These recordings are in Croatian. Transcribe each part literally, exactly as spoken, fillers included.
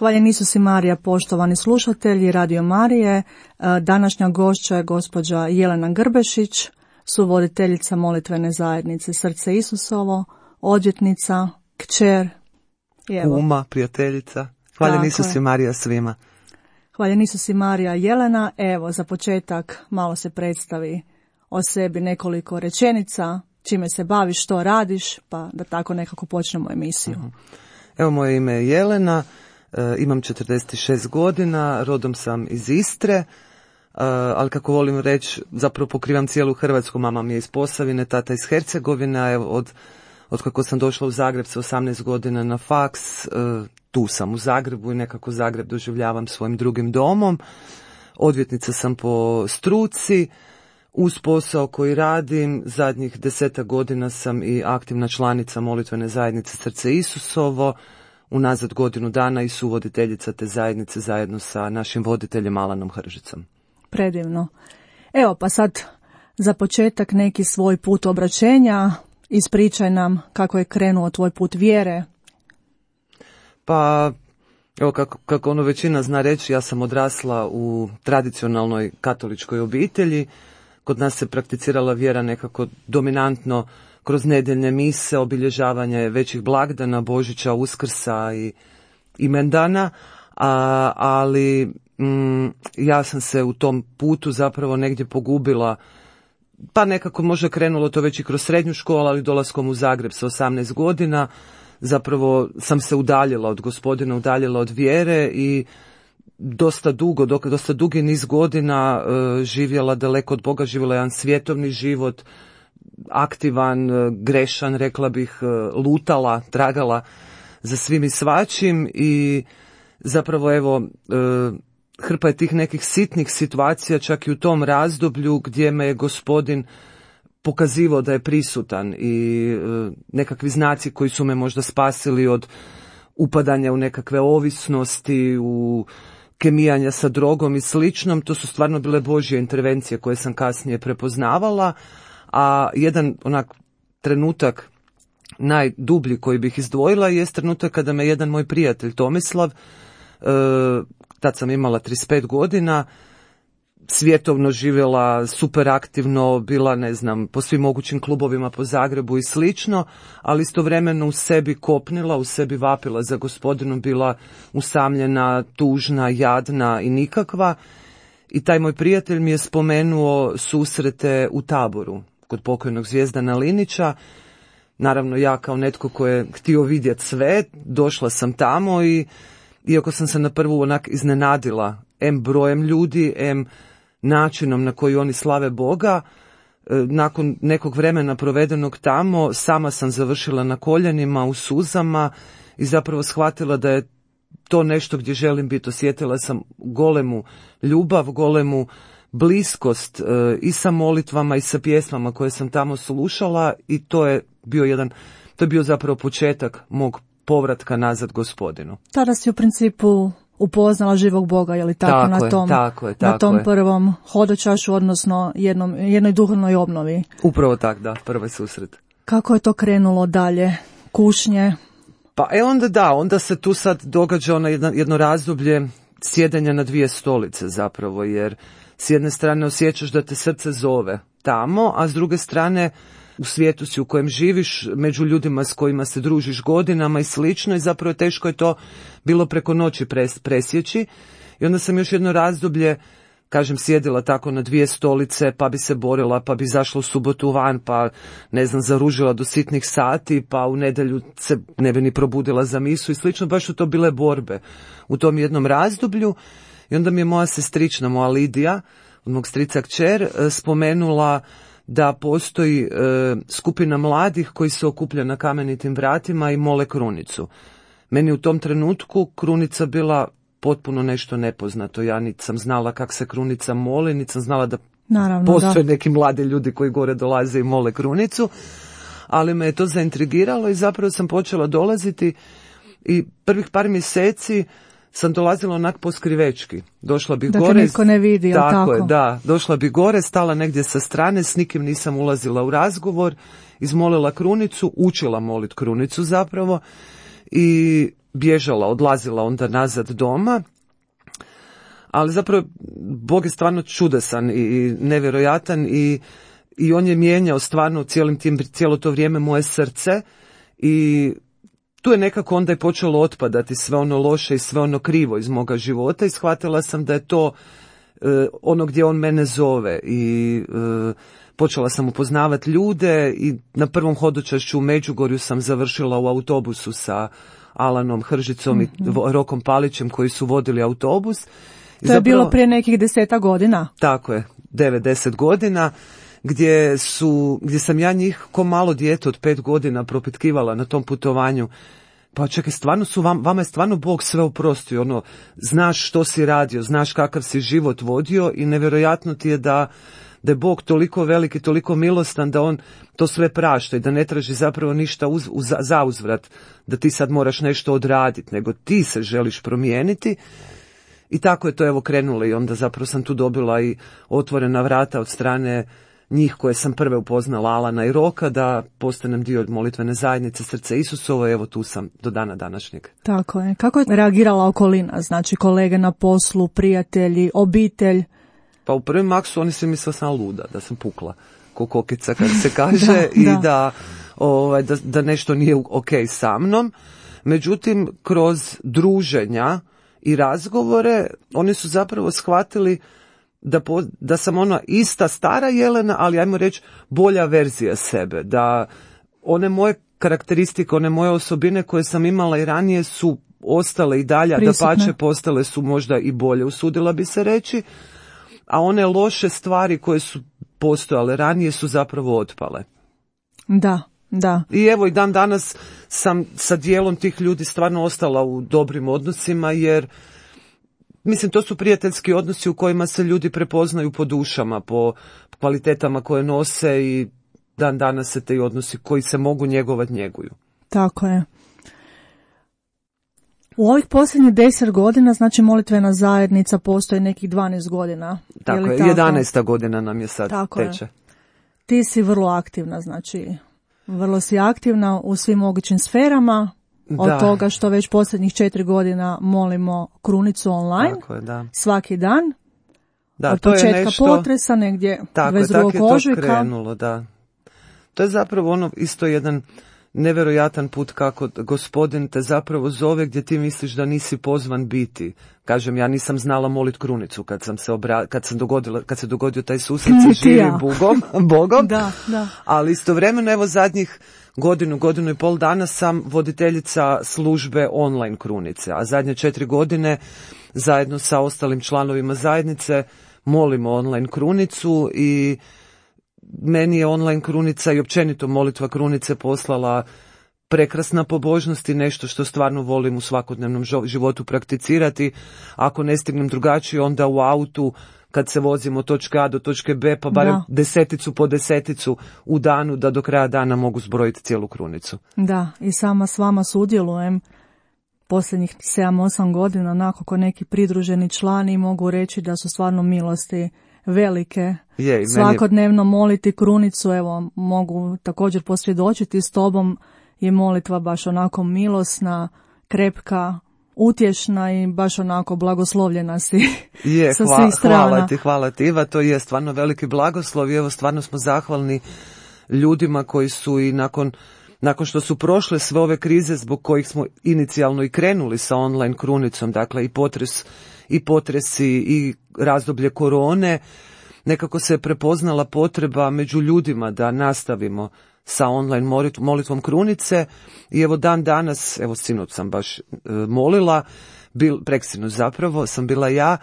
Hvaljen Isus i Marija, poštovani slušatelji Radio Marije. Današnja gošća je gospođa Jelena Grbešić, suvoditeljica molitvene zajednice Srce Isusovo, odvjetnica, kćer. Kuma, prijateljica. Hvaljen Isus i Marija svima. Hvaljen Isus i Marija. Jelena, evo za početak malo se predstavi o sebi, nekoliko rečenica, čime se baviš, što radiš, pa da tako nekako počnemo emisiju. Evo, moje ime je Jelena. Imam četrdeset šest godina, rodom sam iz Istre, ali kako volim reći, zapravo pokrivam cijelu Hrvatsku. Mama mi je iz Posavine, tata iz Hercegovine. Od, od kako sam došla u Zagreb sa osamnaest godina na faks, tu sam u Zagrebu i nekako Zagreb doživljavam svojim drugim domom. Odvjetnica sam po struci. Uz posao koji radim, zadnjih desetak godina sam i aktivna članica molitvene zajednice Srce Isusovo, unazad godinu dana i suvoditeljica te zajednice zajedno sa našim voditeljem Alanom Hržicom. Predivno. Evo pa sad za početak neki svoj put obraćenja, ispričaj nam kako je krenuo tvoj put vjere. Pa, evo kako, kako ono većina zna reći, ja sam odrasla u tradicionalnoj katoličkoj obitelji. Kod nas se prakticirala vjera nekako dominantno kroz nedjeljne mise, obilježavanje većih blagdana, Božića, Uskrsa i imendana, a, ali mm, ja sam se u tom putu zapravo negdje pogubila, pa nekako možda krenulo to već i kroz srednju školu, ali dolaskom u Zagreb sa osamnaest godina, zapravo sam se udaljila od Gospodina, udaljila od vjere i dosta dugo, dosta dugi niz godina uh, živjela daleko od Boga, živjela jedan svjetovni život, aktivan, uh, grešan, rekla bih, uh, lutala, tragala za svim i svačim i zapravo evo uh, hrpa je tih nekih sitnih situacija čak i u tom razdoblju gdje me je Gospodin pokazivao da je prisutan i uh, nekakvi znaci koji su me možda spasili od upadanja u nekakve ovisnosti, u kemijanja sa drogom i sličnom, to su stvarno bile Božje intervencije koje sam kasnije prepoznavala, a jedan onak trenutak najdublji koji bih izdvojila je trenutak kada me jedan moj prijatelj Tomislav, e, tad sam imala trideset pet godina, svjetovno živjela, super aktivno, bila, ne znam, po svim mogućim klubovima po Zagrebu i slično, ali istovremeno u sebi kopnila, u sebi vapila za Gospodinom, bila usamljena, tužna, jadna i nikakva. I taj moj prijatelj mi je spomenuo susrete u Taboru kod pokojnog Zvijezdana Linića. Naravno, ja kao netko ko je htio vidjeti sve, došla sam tamo i iako sam se na prvu onak iznenadila em brojem ljudi, em načinom na koji oni slave Boga, nakon nekog vremena provedenog tamo, sama sam završila na koljenima, u suzama i zapravo shvatila da je to nešto gdje želim biti. Osjetila sam golemu ljubav, golemu bliskost i sa molitvama i sa pjesmama koje sam tamo slušala i to je bio jedan, to je bio zapravo početak mog povratka nazad Gospodinu. Tada si u principu upoznala živog Boga, je li tako, tako na tom, je, tako je, tako na tom je. prvom hodočašu, odnosno jednom, jednoj duhovnoj obnovi. Upravo tak, da, prvi susret. Kako je to krenulo dalje? Kušnje? Pa e onda da, onda se tu sad događa ono jedno, jedno razdoblje sjedenja na dvije stolice zapravo, jer s jedne strane osjećaš da te srce zove tamo, a s druge strane u svijetu si u kojem živiš, među ljudima s kojima se družiš godinama i slično i zapravo teško je to bilo preko noći pres, presjeći. I onda sam još jedno razdoblje, kažem, sjedila tako na dvije stolice, pa bi se borila, pa bi zašla u subotu van, pa ne znam, zaružila do sitnih sati, pa u nedjelju se ne bi ni probudila za misu i slično, baš su to bile borbe u tom jednom razdoblju. I onda mi je moja sestrična, moja Lidija, od mog strica kćer, spomenula da postoji e, skupina mladih koji se okuplja na Kamenitim vratima i mole krunicu. Meni u tom trenutku krunica bila potpuno nešto nepoznato. Ja niti sam znala kako se krunica moli, niti sam znala da Naravno, postoje da. neki mladi ljudi koji gore dolaze i mole krunicu, ali me je to zaintrigiralo i zapravo sam počela dolaziti i prvih par mjeseci sam dolazila onak poskrivečki. Došla bih da gore. Da niko ne vidi, tako, tako je, da. Došla bih gore, stala negdje sa strane, s nikim nisam ulazila u razgovor, izmolila krunicu, učila molit krunicu zapravo i bježala, odlazila onda nazad doma. Ali zapravo Bog je stvarno čudesan i nevjerojatan i, i on je mijenjao stvarno cijelim tim, cijelo to vrijeme moje srce i tu je nekako onda je počelo otpadati sve ono loše i sve ono krivo iz moga života i shvatila sam da je to e, ono gdje on mene zove i e, počela sam upoznavati ljude i na prvom hodočašću u Međugorju sam završila u autobusu sa Alanom Hržicom mm-hmm. i Rokom Palićem koji su vodili autobus. I to zapravo, je bilo prije nekih deseta godina. Tako je, devet, deset godina. Gdje, su, gdje sam ja njih ko malo dijete od pet godina propitkivala na tom putovanju. Pa čekaj, stvarno su vam, vama je stvarno Bog sve oprostio, ono, znaš što si radio, znaš kakav si život vodio i nevjerojatno ti je da, da je Bog toliko veliki, toliko milostan da on to sve prašta i da ne traži zapravo ništa uz, uz, za uzvrat, da ti sad moraš nešto odraditi, nego ti se želiš promijeniti. I tako je to evo krenulo i onda zapravo sam tu dobila i otvorena vrata od strane njih koje sam prve upoznala, Alana i Roka, da postanem dio molitvene zajednice Srce Isusovo, evo tu sam do dana današnjeg. Tako je. Kako je reagirala okolina, znači kolege na poslu, prijatelji, obitelj? Pa u prvim maksu oni se mislili sam luda, da sam pukla ko kokica kad se kaže da, i da, da, ovaj, da, da nešto nije ok sa mnom. Međutim, kroz druženja i razgovore oni su zapravo shvatili Da, po, da sam ona ista stara Jelena, ali ajmo reći bolja verzija sebe, da one moje karakteristike, one moje osobine koje sam imala i ranije su ostale i dalje, da pače postale su možda i bolje, usudila bi se reći, a one loše stvari koje su postojale ranije su zapravo otpale. Da, da. I evo i dan danas sam sa dijelom tih ljudi stvarno ostala u dobrim odnosima, jer mislim, to su prijateljski odnosi u kojima se ljudi prepoznaju po dušama, po kvalitetama koje nose i dan danas se te odnosi koji se mogu njegovati njeguju. Tako je. U ovih posljednjih deset godina, znači molitvena zajednica postoji nekih dvanaest godina. Tako je, je jedanaesta godina nam je sad tako teče. Je. Ti si vrlo aktivna, znači vrlo si aktivna u svim mogućim sferama. Od da. Toga što već posljednjih četiri godina molimo krunicu online, tako je, da. Svaki dan, da, od to početka je nešto, potresa negdje dvadeset drugog ožujka. Tako je to krenulo, da. To je zapravo ono isto jedan nevjerojatan put kako Gospodin te zapravo zove gdje ti misliš da nisi pozvan biti. Kažem, ja nisam znala molit krunicu kad sam se obra... kad sam dogodila, kad se dogodio taj susret sa živim Bogom, Bogom. Da, da. Ali istovremeno evo zadnjih godinu, godinu i pol dana sam voditeljica službe online krunice, a zadnje četiri godine zajedno sa ostalim članovima zajednice molimo online krunicu i meni je online krunica i općenito molitva krunice poslala prekrasna pobožnost i nešto što stvarno volim u svakodnevnom životu prakticirati. Ako ne stignem drugačije, onda u autu kad se vozimo od točke A do točke B, pa barem da. deseticu po deseticu u danu da do kraja dana mogu zbrojiti cijelu krunicu. Da, i sama s vama sudjelujem posljednjih sedam osam godina, onako ko neki pridruženi člani, mogu reći da su stvarno milosti velike. Je, svakodnevno moliti krunicu, evo mogu također posvjedočiti s tobom, je molitva baš onako milosna, krepka, utješna i baš onako blagoslovljena si je, sa hvala, svih strana. Hvala ti, hvala ti Iva, to je stvarno veliki blagoslov i evo stvarno smo zahvalni ljudima koji su i nakon, nakon što su prošle sve ove krize zbog kojih smo inicijalno i krenuli sa online krunicom, dakle i potres, i potresi i razdoblje korone, nekako se je prepoznala potreba među ljudima da nastavimo sa online molitvom krunice i evo dan danas, evo sinoć sam baš e, molila, bil, preksinoć zapravo sam bila ja,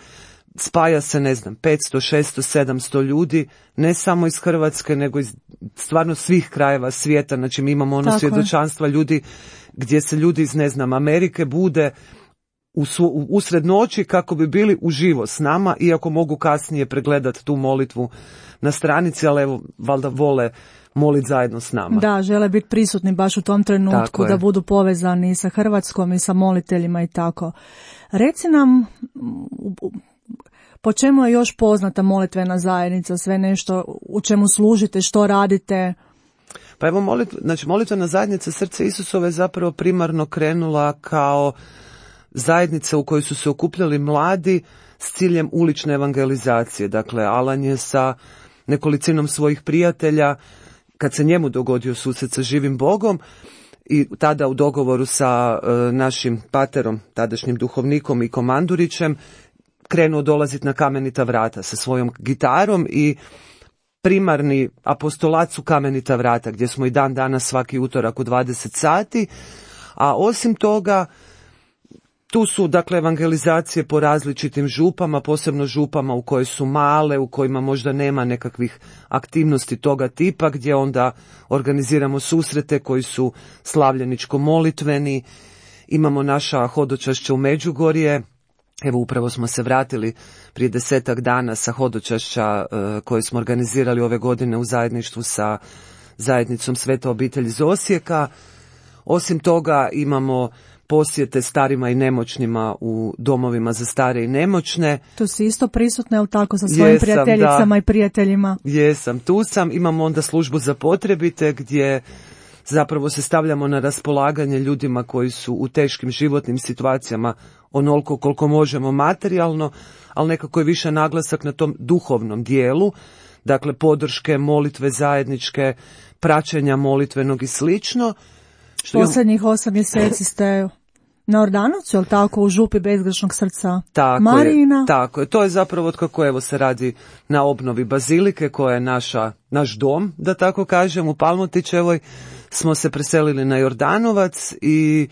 spaja se ne znam petsto, šesto, sedamsto ljudi, ne samo iz Hrvatske nego iz stvarno svih krajeva svijeta, znači mi imamo ono svjedočanstva ljudi gdje se ljudi iz ne znam Amerike bude u su, usred noći kako bi bili uživo s nama, iako mogu kasnije pregledati tu molitvu na stranici, ali evo valjda vole moliti zajedno s nama. Da, žele biti prisutni baš u tom trenutku, da budu povezani sa Hrvatskom i sa moliteljima i tako. Reci nam, po čemu je još poznata molitvena zajednica, sve nešto, u čemu služite, što radite? Pa evo, molit, znači, molitvena zajednica Srce Isusove je zapravo primarno krenula kao zajednica u kojoj su se okupljali mladi s ciljem ulične evangelizacije. Dakle, Alan je sa nekolicinom svojih prijatelja, kad se njemu dogodio susret sa živim Bogom, i tada u dogovoru sa e, našim paterom, tadašnjim duhovnikom i Komandurićem, krenuo dolaziti na Kamenita vrata sa svojom gitarom i primarni apostolat su Kamenita vrata, gdje smo i dan danas svaki utorak u dvadeset sati, a osim toga tu su, dakle, evangelizacije po različitim župama, posebno župama u koje su male, u kojima možda nema nekakvih aktivnosti toga tipa, gdje onda organiziramo susrete koji su slavljeničko-molitveni. Imamo naša hodočašća u Međugorje. Evo, upravo smo se vratili prije desetak dana sa hodočašća uh, koje smo organizirali ove godine u zajedništvu sa zajednicom Sveta obitelj iz Osijeka. Osim toga imamo posjete starima i nemoćnima u domovima za stare i nemoćne. Tu si isto prisutna, jel tako, sa svojim Jesam, prijateljicama da. i prijateljima? Jesam, tu sam. Imamo onda službu za potrebite gdje zapravo se stavljamo na raspolaganje ljudima koji su u teškim životnim situacijama onoliko koliko možemo materijalno, ali nekako je više naglasak na tom duhovnom dijelu, dakle podrške, molitve zajedničke, praćenja molitvenog i slično. Što Posljednjih osam mjeseci ste na Ordanovcu, jel tako, u župi Bezgrešnog srca tako Marijina? Je, tako je. To je zapravo otkako evo se radi na obnovi bazilike koja je naša, naš dom, da tako kažem, u Palmotićevoj. Smo se preselili na Jordanovac i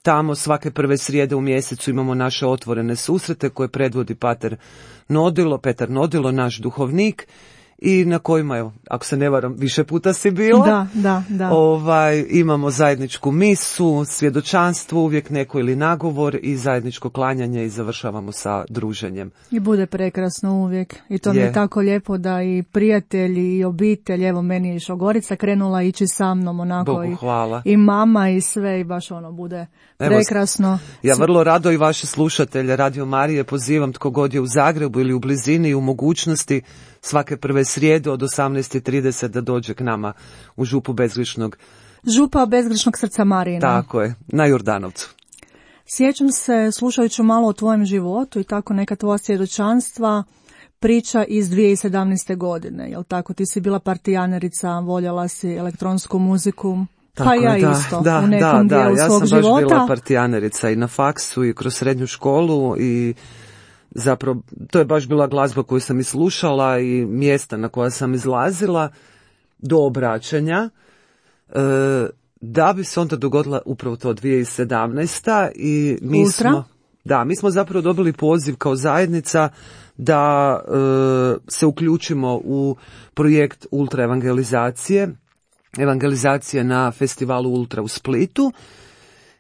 tamo svake prve srijede u mjesecu imamo naše otvorene susrete koje predvodi pater Nodilo, Petar Nodilo, naš duhovnik, i na kojima, evo, ako se ne varam, više puta si bila. Da, da, da. Ovaj, imamo zajedničku misu, svjedočanstvo, uvijek neko ili nagovor i zajedničko klanjanje i završavamo sa druženjem. I bude prekrasno uvijek. I to je. Mi je tako lijepo da i prijatelji i obitelj, evo meni je Šogorica krenula ići sa mnom onako. Bogu hvala. I, i mama i sve i baš ono bude prekrasno. Evo, ja vrlo rado i vaše slušatelje Radio Marije pozivam, tko god je u Zagrebu ili u blizini i u mogućnosti, svake prve srijede od osamnaest i trideset da dođe k nama u župu Bezgrešnog. Župa Bezgrešnog srca Marijina. Tako je, na Jordanovcu. Sjećam se, slušajući malo o tvojem životu i tako neka tvoja svjedočanstva, priča iz dvije tisuće sedamnaeste. godine. Jel tako, ti si bila partijanerica, voljela si elektronsku muziku. Tako pa ja je, da, isto, da, u nekom da, dijelu da, svog života. Ja sam baš bila partijanerica i na faksu i kroz srednju školu i zapravo to je baš bila glazba koju sam i slušala i mjesta na koja sam izlazila do obraćanja, e, da bi se onda dogodila upravo to dvije tisuće sedamnaesta. i mi Ultra? smo, da, mi smo zapravo dobili poziv kao zajednica da e, se uključimo u projekt ultra evangelizacije, evangelizacije na festivalu Ultra u Splitu,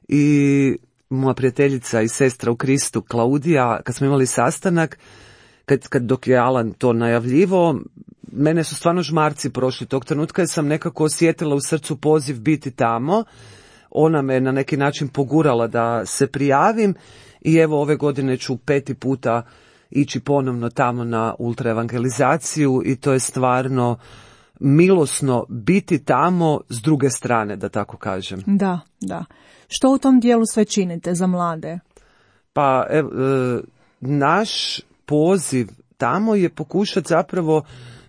i moja prijateljica i sestra u Kristu Klaudija, kad smo imali sastanak, kad, kad dok je Alan to najavljivo, mene su stvarno žmarci prošli tog trenutka, jer sam nekako osjetila u srcu poziv biti tamo. Ona me na neki način pogurala da se prijavim i evo ove godine ću peti puta ići ponovno tamo na ultra evangelizaciju i to je stvarno milosno biti tamo s druge strane, da tako kažem. Da, da. Što u tom dijelu sve činite za mlade? Pa ev, e, naš poziv tamo je pokušati zapravo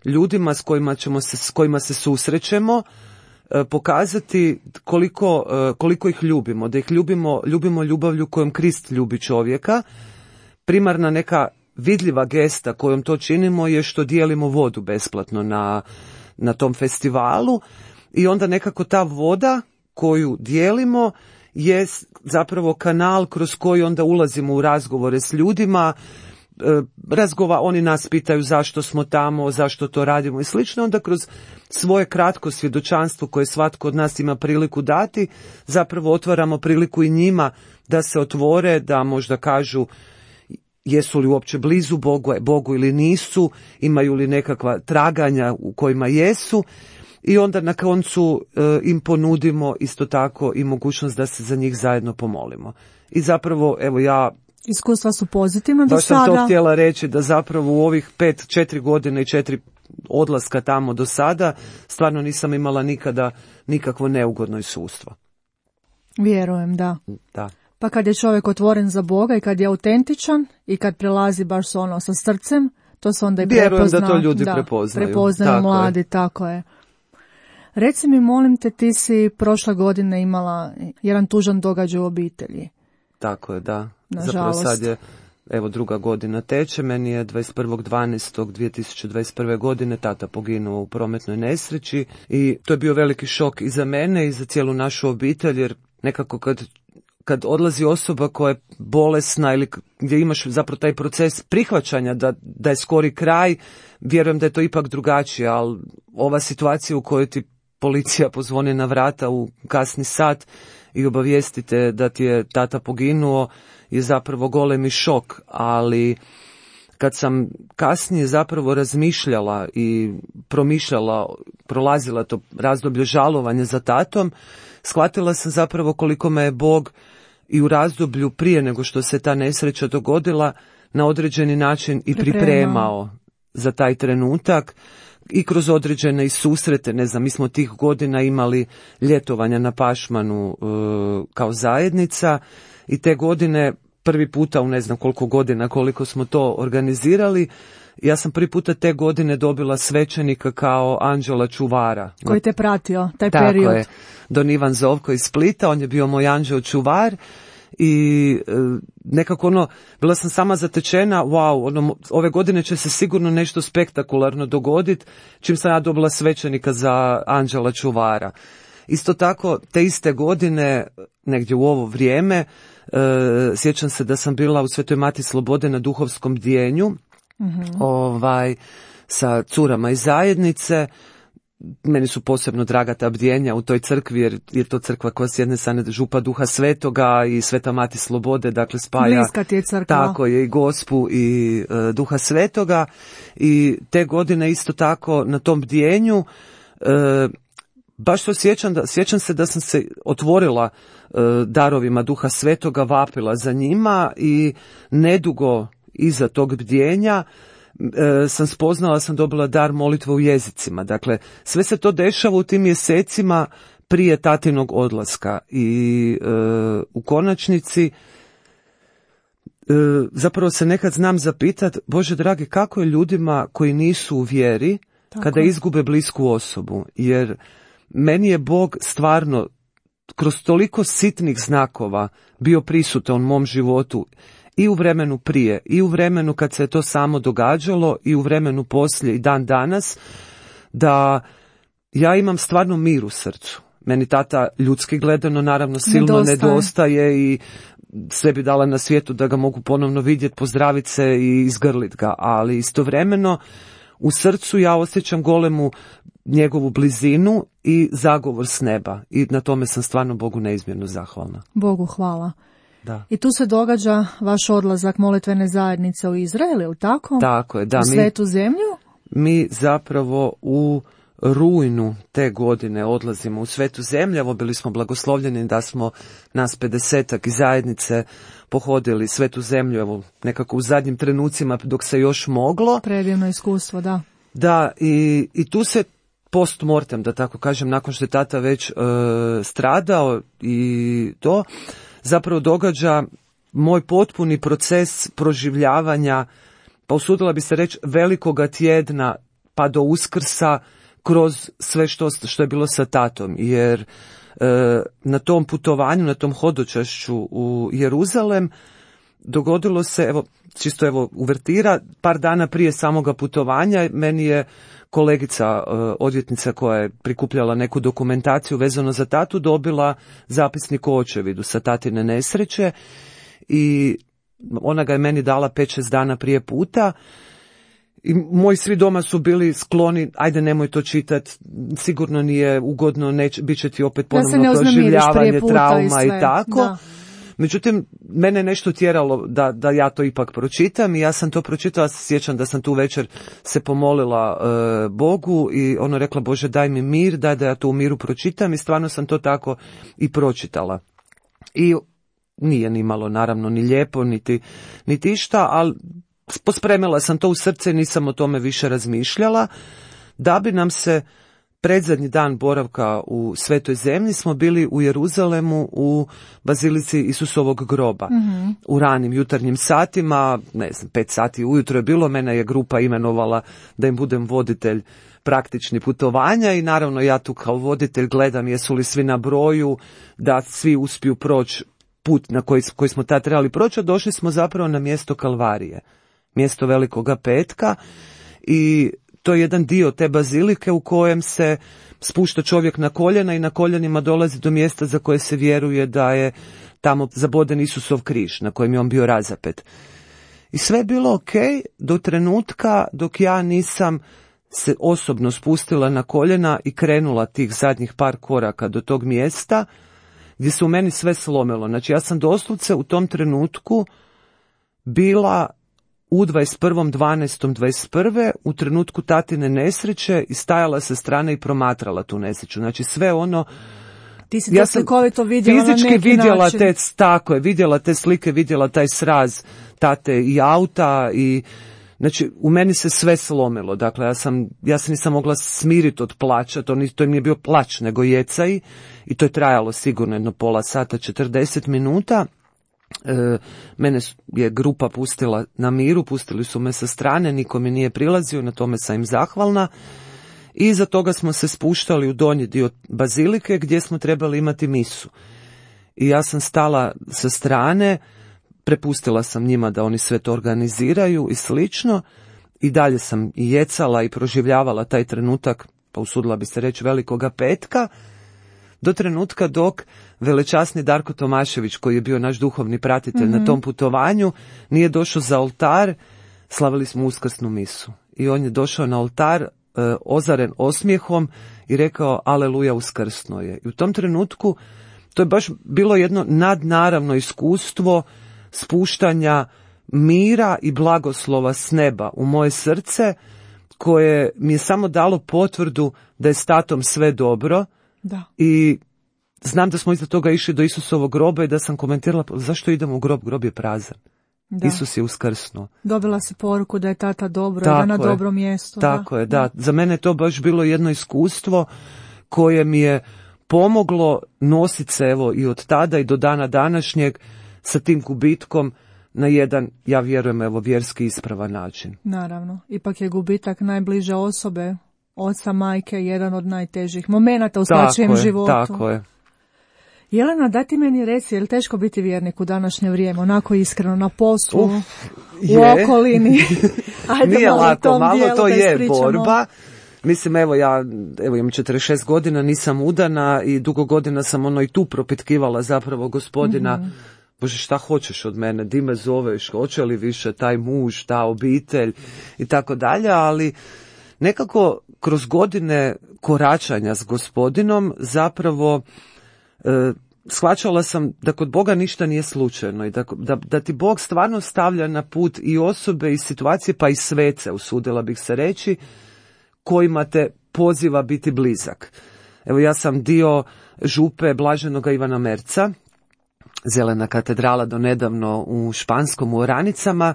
ljudima s kojima ćemo se, s kojima se susrećemo e, pokazati koliko, e, koliko ih ljubimo, da ih ljubimo, ljubimo ljubavlju kojom Krist ljubi čovjeka. Primarna neka vidljiva gesta kojom to činimo je što dijelimo vodu besplatno na, na tom festivalu i onda nekako ta voda koju dijelimo je zapravo kanal kroz koji onda ulazimo u razgovore s ljudima, e, razgova, oni nas pitaju zašto smo tamo, zašto to radimo i slično, onda kroz svoje kratko svjedočanstvo koje svatko od nas ima priliku dati, zapravo otvaramo priliku i njima da se otvore, da možda kažu jesu li uopće blizu Bogu, Bogu ili nisu, imaju li nekakva traganja u kojima jesu. I onda na koncu e, im ponudimo isto tako i mogućnost da se za njih zajedno pomolimo. I zapravo, evo ja... Iskustva su pozitivna do sada. Baš sam to htjela reći, da zapravo u ovih pet, četiri godine i četiri odlaska tamo do sada, stvarno nisam imala nikada nikakvo neugodno iskustvo. Vjerujem, da. Da. Pa kad je čovjek otvoren za Boga i kad je autentičan i kad prelazi baš ono sa srcem, to se onda i prepozna. Vjerujem da to ljudi da, prepoznaju. Prepoznaju tako mladi, je. tako je. Reci mi, molim te, ti si prošle godine imala jedan tužan događaj u obitelji. Tako je, da. Nažalost. Zapravo sad je, evo, druga godina teče. Meni je dvadeset prvog dvanaestog dvije tisuće dvadeset prve. godine tata poginuo u prometnoj nesreći i to je bio veliki šok i za mene i za cijelu našu obitelj, jer nekako kad kad odlazi osoba koja je bolesna ili gdje imaš zapravo taj proces prihvaćanja da, da je skori kraj, vjerujem da je to ipak drugačije, ali ova situacija u kojoj ti policija pozvoni na vrata u kasni sat i obavijestite da ti je tata poginuo je zapravo golemi šok, ali kad sam kasnije zapravo razmišljala i promišljala, prolazila to razdoblje žalovanja za tatom, shvatila sam zapravo koliko me je Bog i u razdoblju prije nego što se ta nesreća dogodila na određeni način i pripremao, pripremao za taj trenutak i kroz određene i susrete. Ne znam, mi smo tih godina imali ljetovanja na Pašmanu e, kao zajednica i te godine prvi puta u ne znam koliko godina koliko smo to organizirali, ja sam prvi puta te godine dobila svećenika kao anđela čuvara. Koji te pratio, taj Tako period. Tako je, Don Ivan Zovko iz Splita, on je bio moj anđeo čuvar i e, nekako ono, bila sam sama zatečena, wow, ono, ove godine će se sigurno nešto spektakularno dogoditi, čim sam ja dobila svećenika za anđela čuvara. Isto tako, te iste godine, negdje u ovo vrijeme, e, sjećam se da sam bila u Svetoj Mati Slobode na duhovskom bdijenju, mm-hmm. ovaj, sa curama iz zajednice. Meni su posebno draga ta bdjenja u toj crkvi, jer je to crkva koja s jedne strane župa Duha Svetoga i Sveta Mati Slobode, dakle spaja. Bliska ti je crkva. Tako je, i Gospu i e, Duha Svetoga. I te godine isto tako na tom bdjenju, e, baš to sjećam, da, sjećam se da sam se otvorila e, darovima Duha Svetoga, vapila za njima i nedugo iza tog bdjenja e, sam spoznala, sam dobila dar molitve u jezicima. Dakle, sve se to dešava u tim mjesecima prije tatinog odlaska i e, u konačnici e, zapravo se nekad znam zapitat, Bože dragi, kako je ljudima koji nisu u vjeri Tako. kada izgube blisku osobu, jer meni je Bog stvarno kroz toliko sitnih znakova bio prisutan u mom životu i u vremenu prije, i u vremenu kad se je to samo događalo, i u vremenu poslije i dan danas, da ja imam stvarno mir u srcu. Meni tata ljudski gledano naravno silno nedostaje, nedostaje i sve bi dala na svijetu da ga mogu ponovno vidjeti, pozdraviti se i izgrlit ga, ali istovremeno u srcu ja osjećam golemu njegovu blizinu i zagovor s neba i na tome sam stvarno Bogu neizmjerno zahvalna. Bogu hvala. Da. I tu se događa vaš odlazak molitvene zajednice u Izrael, ili tako? Tako je, da. U svetu zemlju? Mi zapravo u rujnu te godine odlazimo u svetu zemlju. Evo, bili smo blagoslovljeni da smo nas pedesetak iz zajednice pohodili svetu zemlju, evo, nekako u zadnjim trenucima dok se još moglo. Predivno iskustvo, da. Da, i, i tu se post mortem, da tako kažem, nakon što je tata već e, stradao i to, zapravo događa moj potpuni proces proživljavanja, pa usudila bi se reći velikoga tjedna pa do Uskrsa kroz sve što, što je bilo sa tatom, jer e, na tom putovanju, na tom hodočašću u Jeruzalem dogodilo se, evo, čisto evo uvertira, par dana prije samoga putovanja meni je kolegica, e, odvjetnica koja je prikupljala neku dokumentaciju vezano za tatu, dobila zapisnik o očevidu sa tatine nesreće i ona ga je meni dala pet šest dana prije puta. I moji svi doma su bili skloni, ajde nemoj to čitati, sigurno nije ugodno, neć, bit će ti opet ponovno proživljavanje, trauma i, i tako. Da. Međutim, mene je nešto tjeralo da, da ja to ipak pročitam i ja sam to pročitala, sjećam da sam tu večer se pomolila e, Bogu i ono rekla, Bože daj mi mir, daj da ja to u miru pročitam i stvarno sam to tako i pročitala. I nije ni malo naravno ni lijepo, niti, niti išta, ali pospremila sam to u srce i nisam o tome više razmišljala, da bi nam se predzadnji dan boravka u Svetoj zemlji smo bili u Jeruzalemu u bazilici Isusovog groba. Mm-hmm. U ranim jutarnjim satima, ne znam, pet sati ujutro je bilo, mene je grupa imenovala da im budem voditelj praktični putovanja i naravno ja tu kao voditelj gledam jesu li svi na broju, da svi uspiju proći put na koji, koji smo tad trebali proći, a došli smo zapravo na mjesto Kalvarije, mjesto Velikoga petka i to je jedan dio te bazilike u kojem se spušta čovjek na koljena i na koljenima dolazi do mjesta za koje se vjeruje da je tamo zaboden Isusov križ na kojem je on bio razapet. I sve je bilo ok do trenutka dok ja nisam se osobno spustila na koljena i krenula tih zadnjih par koraka do tog mjesta gdje se u meni sve slomilo. Znači ja sam doslovce u tom trenutku bila u dvadeset prvom dvanaestom dvadeset prve u trenutku tatine nesreće i stajala sa strane i promatrala tu nesreću. Znači sve ono... Ti si ja to slikovito vidjela fizički na neki vidjela način. Te, tako je, vidjela te slike, vidjela taj sraz tate i auta i znači u meni se sve slomilo. Dakle, ja sam, ja se nisam mogla smiriti od plaća, to, ni, to nije bio plać, nego jecaj i to je trajalo sigurno jedno pola sata, četrdeset minuta. E, mene je grupa pustila na miru, pustili su me sa strane, niko mi nije prilazio, na tome sam im zahvalna. I iza toga smo se spuštali u donji dio bazilike gdje smo trebali imati misu. I ja sam stala sa strane, prepustila sam njima da oni sve to organiziraju i slično. I dalje sam i jecala i proživljavala taj trenutak, pa usudila bi se reći Velikoga petka, do trenutka dok velečasni Darko Tomašević, koji je bio naš duhovni pratitelj mm-hmm. na tom putovanju, nije došao za oltar, slavili smo uskrsnu misu. I on je došao na oltar e, ozaren osmijehom i rekao aleluja, uskrsno je. I u tom trenutku to je baš bilo jedno nadnaravno iskustvo spuštanja mira i blagoslova s neba u moje srce, koje mi je samo dalo potvrdu da je s tatom sve dobro. Da. I znam da smo iza toga išli do Isusovog groba i da sam komentirala zašto idemo u grob, grob je prazan. Da. Isus je uskrsnuo. Dobila si poruku da je tata dobro, da je na dobro mjesto. Tako da. je, da. Za mene je to baš bilo jedno iskustvo koje mi je pomoglo nositi se evo i od tada i do dana današnjeg sa tim gubitkom na jedan, ja vjerujem, evo vjerski ispravan način. Naravno, ipak je gubitak najbliže osobe, oca, majke, jedan od najtežih momenata u svačijem životu. Tako je. Jelena, daj ti meni reci, je li teško biti vjernik u današnje vrijeme, onako iskreno, na poslu, Uf, u je. okolini? Ajde, nije malo lako, malo to je ispričamo. borba. Mislim, evo ja evo imam četrdeset šest godina, nisam udana i dugo godina sam ono i tu propitkivala zapravo Gospodina, mm-hmm. Bože, šta hoćeš od mene, di me zoveš, hoće li više taj muž, ta obitelj i tako dalje, ali nekako kroz godine koračanja s Gospodinom zapravo e, shvaćala sam da kod Boga ništa nije slučajno i da, da, da ti Bog stvarno stavlja na put i osobe i situacije, pa i svece, usudila bih se reći, kojima te poziva biti blizak. Evo ja sam dio župe Blaženoga Ivana Merca, Zelena katedrala do nedavno u Španskom u Oranicama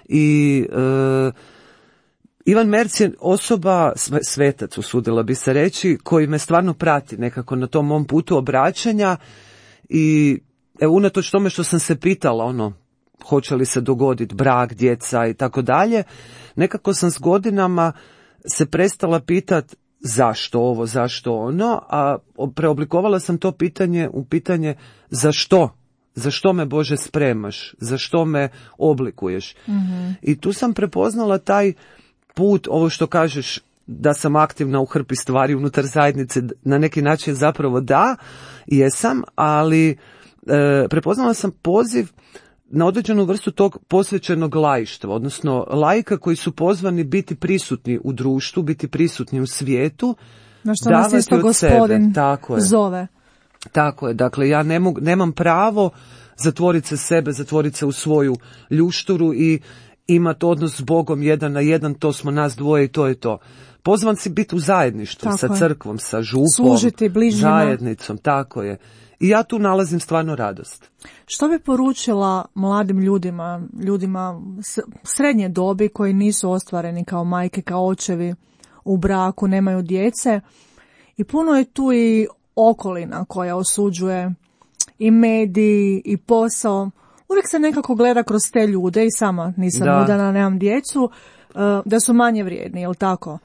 i e, Ivan Merc je osoba, svetac usudila bi se reći, koji me stvarno prati nekako na tom mom putu obraćanja i evo unatoč tome što sam se pitala ono hoće li se dogoditi brak, djeca i tako dalje, nekako sam s godinama se prestala pitati zašto ovo, zašto ono, a preoblikovala sam to pitanje u pitanje zašto, zašto me Bože spremaš, zašto me oblikuješ. Mm-hmm. I tu sam prepoznala taj put, ovo što kažeš da sam aktivna u hrpi stvari unutar zajednice, na neki način zapravo da, jesam, ali e, prepoznala sam poziv na određenu vrstu tog posvećenog laištva, odnosno laika koji su pozvani biti prisutni u društvu, biti prisutni u svijetu, na što nas isto Gospodin Tako je. zove. Tako je, dakle ja ne mogu, nemam pravo zatvoriti se sebe, zatvoriti se u svoju ljušturu i imati odnos s Bogom jedan na jedan, to smo nas dvoje i to je to. Pozvan si biti u zajedništvu, tako sa crkvom, sa župom, služiti bližnjima, zajednicom, tako je. I ja tu nalazim stvarno radost. Što bi poručila mladim ljudima, ljudima srednje dobi koji nisu ostvareni kao majke, kao očevi u braku, nemaju djece, i puno je tu i okolina koja osuđuje, i mediji, i posao. Uvijek se nekako gleda kroz te ljude, i sama nisam da. udana, nemam djecu, da su manje vrijedni, jel tako?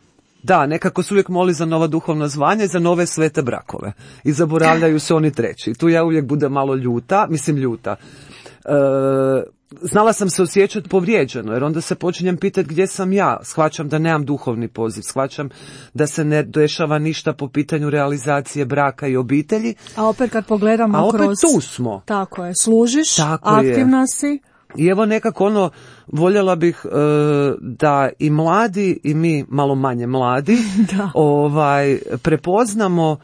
Da, nekako se uvijek moli za nova duhovna zvanja i za nove svete brakove. I zaboravljaju se oni treći. I tu ja uvijek budem malo ljuta, mislim ljuta. E, znala sam se osjećati povrijeđeno, jer onda se počinjem pitati gdje sam ja. Shvaćam da nemam duhovni poziv, shvaćam da se ne dešava ništa po pitanju realizacije braka i obitelji. A opet kad pogledamo A opet kroz... tu smo. Tako je, služiš, tako aktivna je. si. I evo nekako ono, voljela bih e, da i mladi i mi malo manje mladi ovaj prepoznamo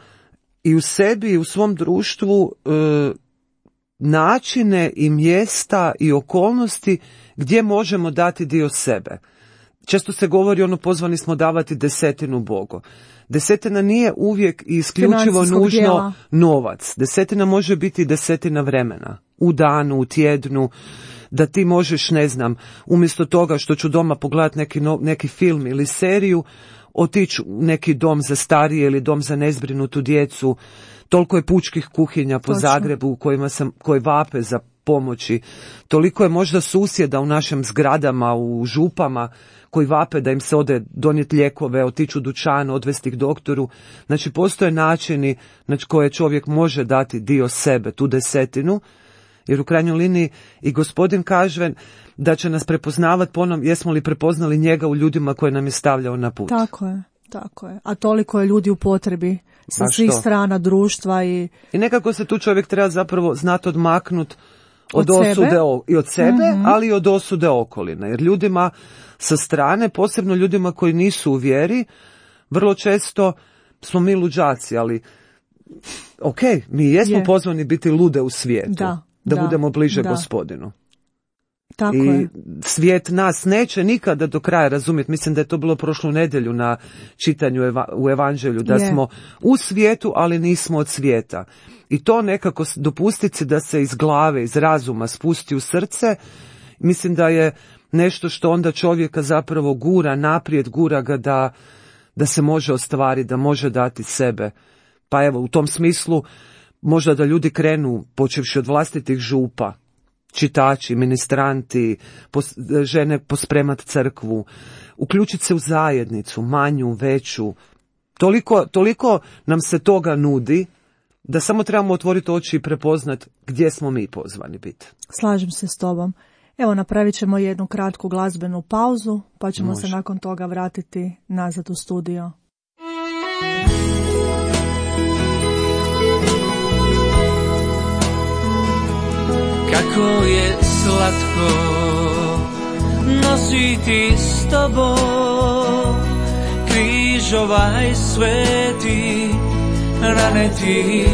i u sebi i u svom društvu e, načine i mjesta i okolnosti gdje možemo dati dio sebe. Često se govori ono, pozvani smo davati desetinu Bogu. Desetina nije uvijek i isključivo nužno dijela. Novac. Desetina može biti desetina vremena. U danu, u tjednu. Da ti možeš, ne znam, umjesto toga što ću doma pogledati neki, no, neki film ili seriju, otići u neki dom za starije ili dom za nezbrinutu djecu. Toliko je pučkih kuhinja po Točno. Zagrebu u kojima sam, koji vape za pomoći. Toliko je možda susjeda u našim zgradama, u župama, koji vape da im se ode donijeti lijekove, otići u dućan, odvesti ih doktoru. Znači, postoje načini na koje čovjek može dati dio sebe, tu desetinu, jer u krajnjoj liniji i gospodin kaže da će nas prepoznavati po onom jesmo li prepoznali njega u ljudima koje nam je stavljao na put. Tako je, tako je. A toliko je ljudi u potrebi sa svih strana društva. I... I nekako se tu čovjek treba zapravo znati odmaknuti od, od osude sebe. i od sebe, mm-hmm. ali i od osude okoline. Jer ljudima sa strane, posebno ljudima koji nisu u vjeri, vrlo često smo mi luđaci, ali ok, mi jesmo je. pozvani biti lude u svijetu. Da. Da, da budemo bliže da. gospodinu. Tako I je. Svijet nas neće nikada do kraja razumjeti. Mislim da je to bilo prošlu nedjelju na čitanju eva, u evanđelju, da je. smo u svijetu, ali nismo od svijeta. I to nekako dopustiti se da se iz glave, iz razuma spusti u srce, mislim da je nešto što onda čovjeka zapravo gura naprijed, gura ga da, da se može ostvariti, da može dati sebe. Pa evo, u tom smislu možda da ljudi krenu, počevši od vlastitih župa, čitači, ministranti, pos, žene pospremat crkvu, uključiti se u zajednicu, manju, veću. Toliko, toliko nam se toga nudi da samo trebamo otvoriti oči i prepoznat gdje smo mi pozvani biti. Slažem se s tobom. Evo, napravit ćemo jednu kratku glazbenu pauzu, pa ćemo Može. se nakon toga vratiti nazad u studio. Kako je slatko nositi s tobom križ ovaj sveti, rane ti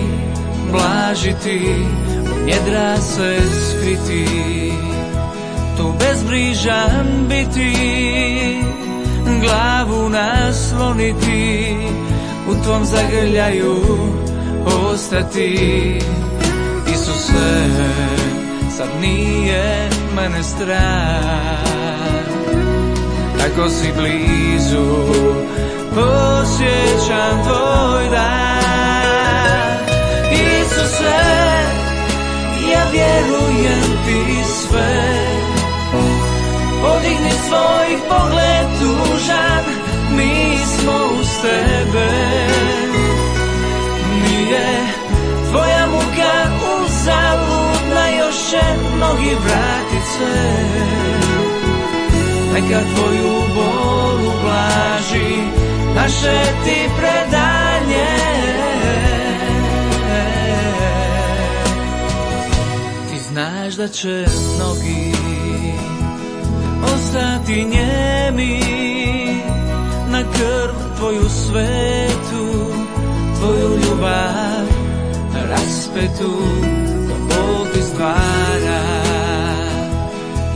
blažiti, u njedra se skriti, tu bezbrižan biti, glavu nasloniti, u tvom zagrljaju ostati. Isuse, sad nije mene strah, tako si blizu, osjećam tvoj dah. Isuse, ja vjerujem ti sve, podigni svoj pogled tužan, mi smo uz tebe. Nije tvoja muka uzaludna, još će mnogi vratit se. Neka tvoju bol ublaži naše ti predanje. Ti znaš da će mnogi ostati njemi na krv tvoju svetu, tvoju ljubav raspetu, ko Bog ti stvara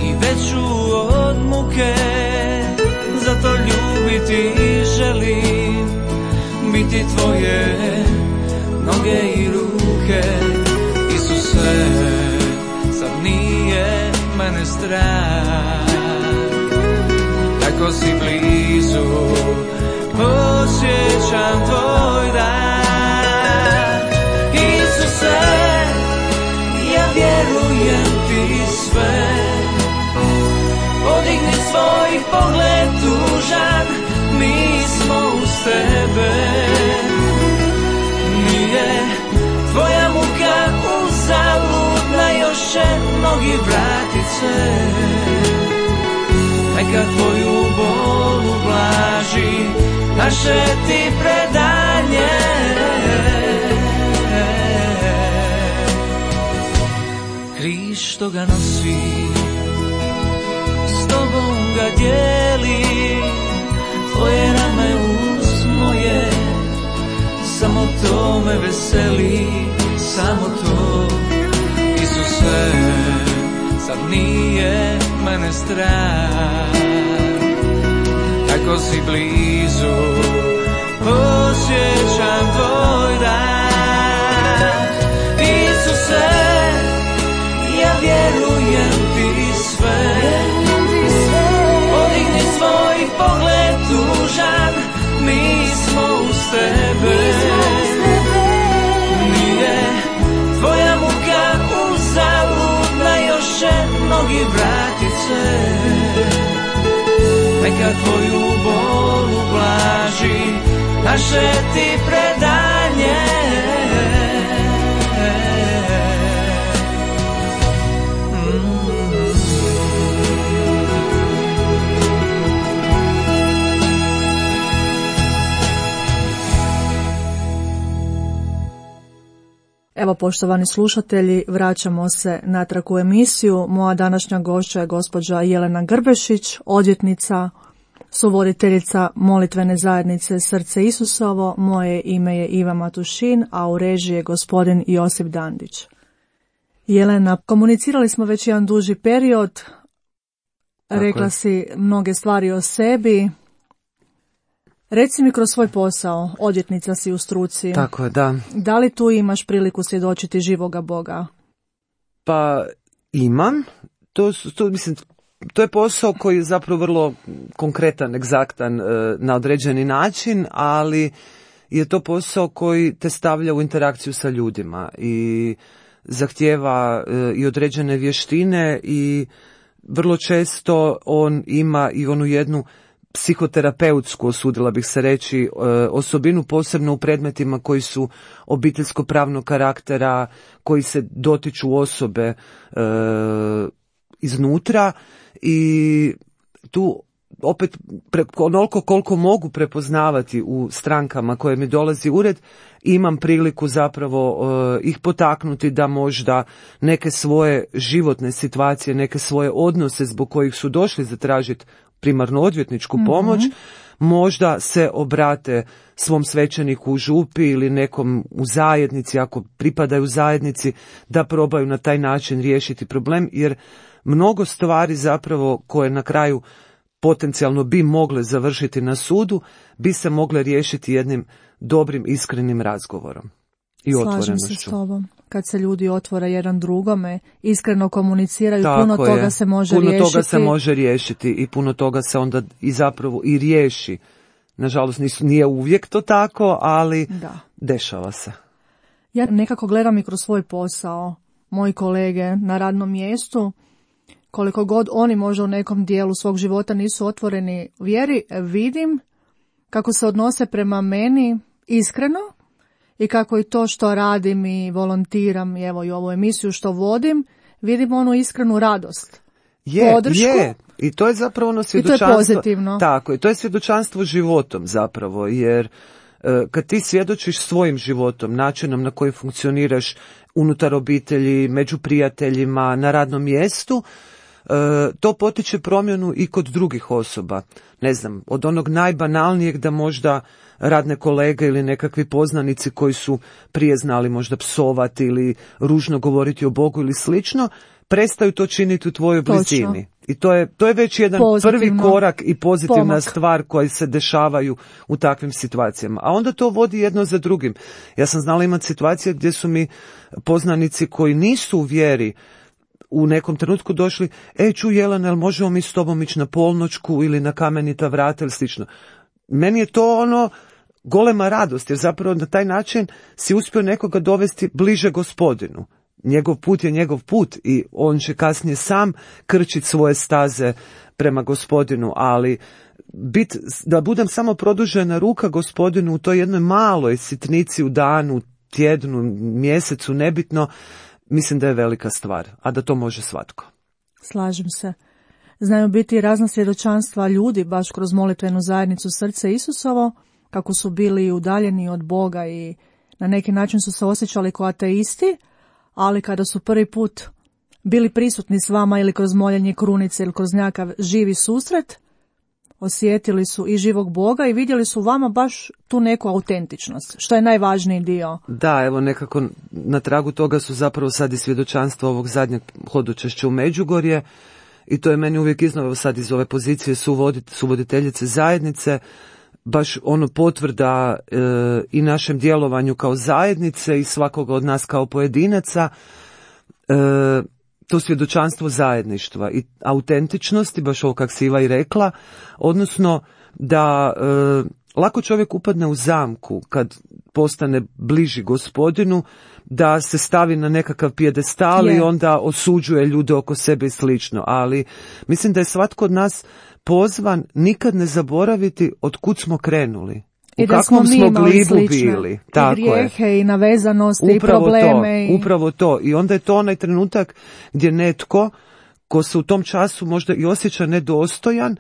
i veću od muke ruke, zato ljubiti želim, biti tvoje noge i ruke. Isuse, sad nije mene strah, tako si blizu, osjećam tvoj dan. Isuse, ja vjerujem ti sve, podigni svoj pogled tužan, mi smo uz tebe. Nije tvoja muka uzaludna, još će mnogi vratit se. Neka tvoju bol ublaži naše ti predanje. Križ što ga nosi, s tobom ga dijeli, tvoje rame uz moje, samo to me veseli, samo to. Isuse, sad nije mene strah, tako si blizu, osjećam tvoj dah. Isuse, ja vjerujem ti sve, podigni svoj pogled tužan, mi smo uz tebe. Nije tvoja muka uzaludna, još će mnogi vratit se. Neka tvoju bol ublaži naše ti predanje. Evo, poštovani slušatelji, vraćamo se natrag u emisiju. Moja današnja gošća je gospođa Jelena Grbešić, odvjetnica, suvoditeljica molitvene zajednice Srce Isusovo. Moje ime je Iva Matušin, a u režiji je gospodin Josip Dandić. Jelena, komunicirali smo već jedan duži period, Tako rekla je. si mnoge stvari o sebi. Reci mi kroz svoj posao, odvjetnica si u struci, Tako je, da. da li tu imaš priliku svjedočiti živoga Boga? Pa imam, to, su- to, mislim, to je posao koji je zapravo vrlo konkretan, egzaktan e, na određeni način, ali je to posao koji te stavlja u interakciju sa ljudima i zahtijeva e, i određene vještine i vrlo često on ima i onu jednu psihoterapeutsku, osudila bih se reći, e, osobinu, posebno u predmetima koji su obiteljsko-pravnog karaktera, koji se dotiču osobe e, iznutra i tu opet pre, onoliko koliko mogu prepoznavati u strankama koje mi dolazi u ured, imam priliku zapravo e, ih potaknuti da možda neke svoje životne situacije, neke svoje odnose zbog kojih su došli zatražiti primarno odvjetničku pomoć, možda se obrate svom svećeniku u župi ili nekom u zajednici, ako pripadaju zajednici, da probaju na taj način riješiti problem, jer mnogo stvari zapravo koje na kraju potencijalno bi mogle završiti na sudu, bi se mogle riješiti jednim dobrim, iskrenim razgovorom i Slažem se s otvorenošću. tobom. Kad se ljudi otvore jedan drugome, iskreno komuniciraju, Tako puno je. toga se može puno riješiti. toga se može riješiti i puno toga se onda i zapravo i riješi. Nažalost, nisu, nije uvijek to tako, ali Da. dešava se. Ja nekako gledam i kroz svoj posao, moji kolege na radnom mjestu, koliko god oni možda u nekom dijelu svog života nisu otvoreni vjeri, vidim kako se odnose prema meni iskreno i kako i to što radim i volontiram i evo i ovu emisiju što vodim, vidim onu iskrenu radost. Je, Podršku. je. I to je zapravo ono I to je svjedočanstvo. pozitivno. Tako, i to je svjedočanstvo životom zapravo, jer e, kad ti svjedočiš svojim životom, načinom na koji funkcioniraš unutar obitelji, među prijateljima, na radnom mjestu, e, to potiče promjenu i kod drugih osoba. Ne znam, od onog najbanalnijeg da možda radne kolege ili nekakvi poznanici koji su prije znali možda psovati ili ružno govoriti o Bogu ili slično, prestaju to činiti u tvojoj Točno. blizini. I to je, to je već jedan Pozitivno. prvi korak i pozitivna Pomak. stvar koji se dešavaju u takvim situacijama. A onda to vodi jedno za drugim. Ja sam znala imati situacije gdje su mi poznanici koji nisu u vjeri u nekom trenutku došli, ej čuj Jelena, jel možemo mi s tobom ići na polnoćku ili na kamenita vrata ili slično. Meni je to ono golema radost, jer zapravo na taj način si uspio nekoga dovesti bliže Gospodinu. Njegov put je njegov put i on će kasnije sam krčiti svoje staze prema Gospodinu, ali bit, da budem samo produžena ruka Gospodinu u toj jednoj maloj sitnici u danu, tjednu, mjesecu, nebitno, mislim da je velika stvar, a da to može svatko. Slažem se. Znaju biti razna svjedočanstva ljudi baš kroz molitvenu zajednicu Srce Isusovo, kako su bili udaljeni od Boga i na neki način su se osjećali kao ateisti, ali kada su prvi put bili prisutni s vama ili kroz moljenje krunice ili kroz nekakav živi susret, osjetili su i živog Boga i vidjeli su u vama baš tu neku autentičnost, što je najvažniji dio. Da, evo nekako na tragu toga su zapravo sad i svjedočanstva ovog zadnjeg hodočašća u Međugorje i to je meni uvijek iznova sad iz ove pozicije suvodit, suvoditeljice zajednice, baš ono potvrda e, i našem djelovanju kao zajednice i svakoga od nas kao pojedinaca, e, to svjedočanstvo zajedništva i autentičnosti, baš ovo kak si Iva i rekla, odnosno da e, lako čovjek upadne u zamku kad postane bliži Gospodinu, da se stavi na nekakav pijedestal Je. i onda osuđuje ljude oko sebe i slično, ali mislim da je svatko od nas pozvan nikad ne zaboraviti od kud smo krenuli. I u da kakvom smo mi smo imali glibu slične bili. i Tako grijehe je. i navezanosti Upravo i probleme. To, i... upravo to. I onda je to onaj trenutak gdje netko ko se u tom času možda i osjeća nedostojan,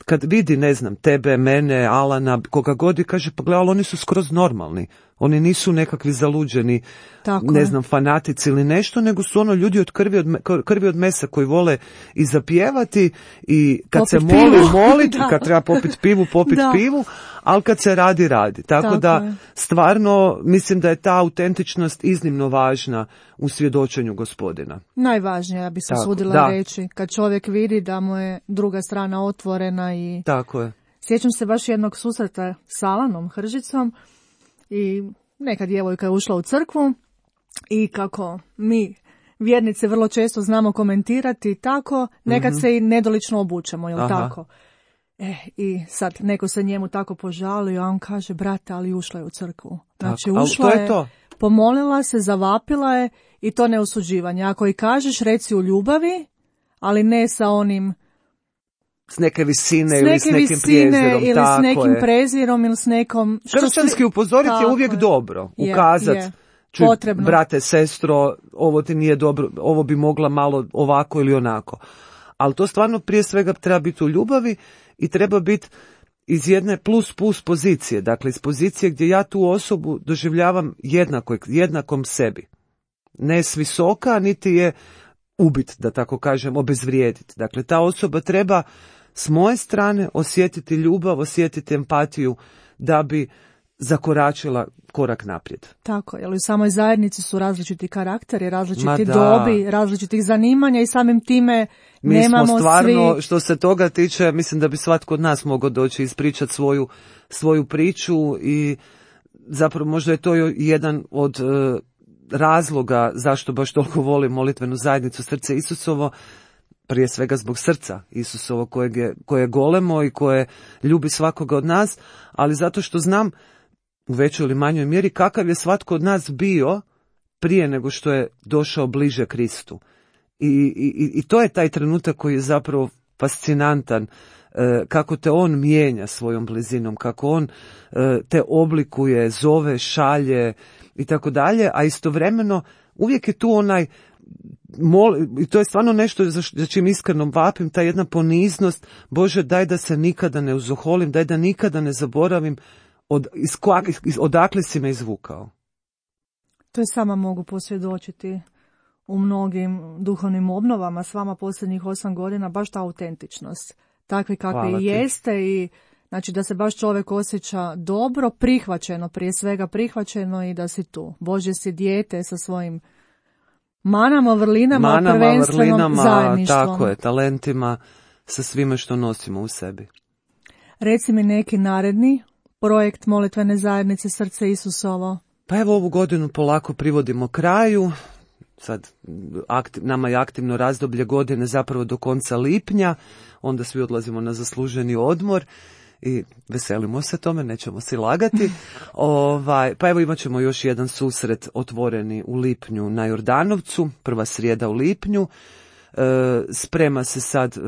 kad vidi, ne znam, tebe, mene, Alana, koga god i kaže, pa gledaj, ali oni su skroz normalni. Oni nisu nekakvi zaluđeni, Tako ne je. znam, fanatici ili nešto, nego su ono ljudi od krvi od, me- krvi od mesa koji vole i zapjevati i kad Popit se moli, pivu. molit, Da. kad treba popit pivu, popit Da. pivu, ali kad se radi, radi. Tako, Tako da, je. stvarno, mislim da je ta autentičnost iznimno važna u svjedočenju Gospodina. Najvažnije, ja bi se Tako, sudila da. reći, kad čovjek vidi da mu je druga strana otvorena i... Tako je. Sjećam se baš jednog susreta s Alanom Hržicom i neka djevojka je ušla u crkvu i kako mi vjernice vrlo često znamo komentirati tako, nekad se i nedolično obučemo, jel Aha. tako? E, i sad neko se njemu tako požalio, a on kaže, brate, ali ušla je u crkvu. Znači, Tako, ali ušla to je to. pomolila se, zavapila je i to ne osuđivanje. Ako i kažeš, reci u ljubavi, ali ne sa onim S neke visine s ili neke s nekim visine prijezirom. ili tako s nekim je. prezirom ili s nekom... što Kršćanski se- upozoriti je Tako uvijek je. dobro. Je, Ukazat, je. čuj, Potrebno. brate, sestro, ovo ti nije dobro, ovo bi mogla malo ovako ili onako. Ali to stvarno prije svega treba biti u ljubavi i treba biti iz jedne plus plus pozicije. Dakle, iz pozicije gdje ja tu osobu doživljavam jednako, jednakom sebi. Ne s visoka, niti je ubit, da tako kažem, obezvrijediti. Dakle, ta osoba treba s moje strane osjetiti ljubav, osjetiti empatiju da bi zakoračila korak naprijed. Tako, jer u samoj zajednici su različiti karakteri, Ma različiti da. dobi, različitih zanimanja i samim time Mi nemamo smo stvarno, svi... što se toga tiče, mislim da bi svatko od nas mogao doći i ispričati svoju, svoju priču i zapravo možda je to jedan od e, razloga zašto baš toliko volim molitvenu zajednicu Srce Isusovo, prije svega zbog srca Isusovo kojeg je, koje je golemo i koje ljubi svakoga od nas, ali zato što znam u većoj ili manjoj mjeri kakav je svatko od nas bio prije nego što je došao bliže Kristu. I, i, i to je taj trenutak koji je zapravo fascinantan, e, kako te on mijenja svojom blizinom, kako on e, te oblikuje, zove, šalje i tako dalje, a istovremeno uvijek je tu onaj mol, i to je stvarno nešto za, za čim iskreno vapim, ta jedna poniznost, Bože daj da se nikada ne uzoholim, daj da nikada ne zaboravim od, iz, iz, odakle si me izvukao. To je sama mogu posvjedočiti u mnogim duhovnim obnovama s vama posljednjih osam godina, baš ta autentičnost. Takvi kakvi Hvala i ti. jeste i znači da se baš čovjek osjeća dobro, prihvaćeno, prije svega prihvaćeno i da si tu. Božje si dijete sa svojim manama, vrlinama, manama, prvenstvenom vrlinama, zajedništvom. tako je, talentima, sa svime što nosimo u sebi. Reci mi neki naredni projekt Molitvene zajednice Srce Isusovo. Pa evo, ovu godinu polako privodimo kraju. Sad aktiv, nama je aktivno razdoblje godine zapravo do konca lipnja, onda svi odlazimo na zasluženi odmor i veselimo se tome, nećemo si lagati. ovaj, pa evo imat ćemo još jedan susret otvoreni u lipnju na Jordanovcu, prva srijeda u lipnju. E, sprema se sad, e,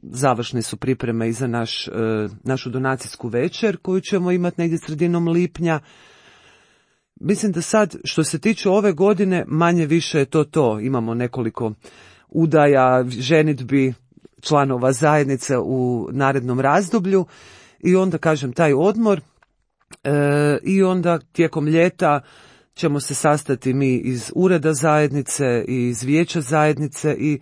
završne su pripreme i za naš, e, našu donacijsku večer koju ćemo imati negdje sredinom lipnja. Mislim da sad, što se tiče ove godine, manje više je to to. Imamo nekoliko udaja, ženidbi članova zajednice u narednom razdoblju i onda, kažem, taj odmor e, i onda tijekom ljeta ćemo se sastati mi iz ureda zajednice i iz vijeća zajednice i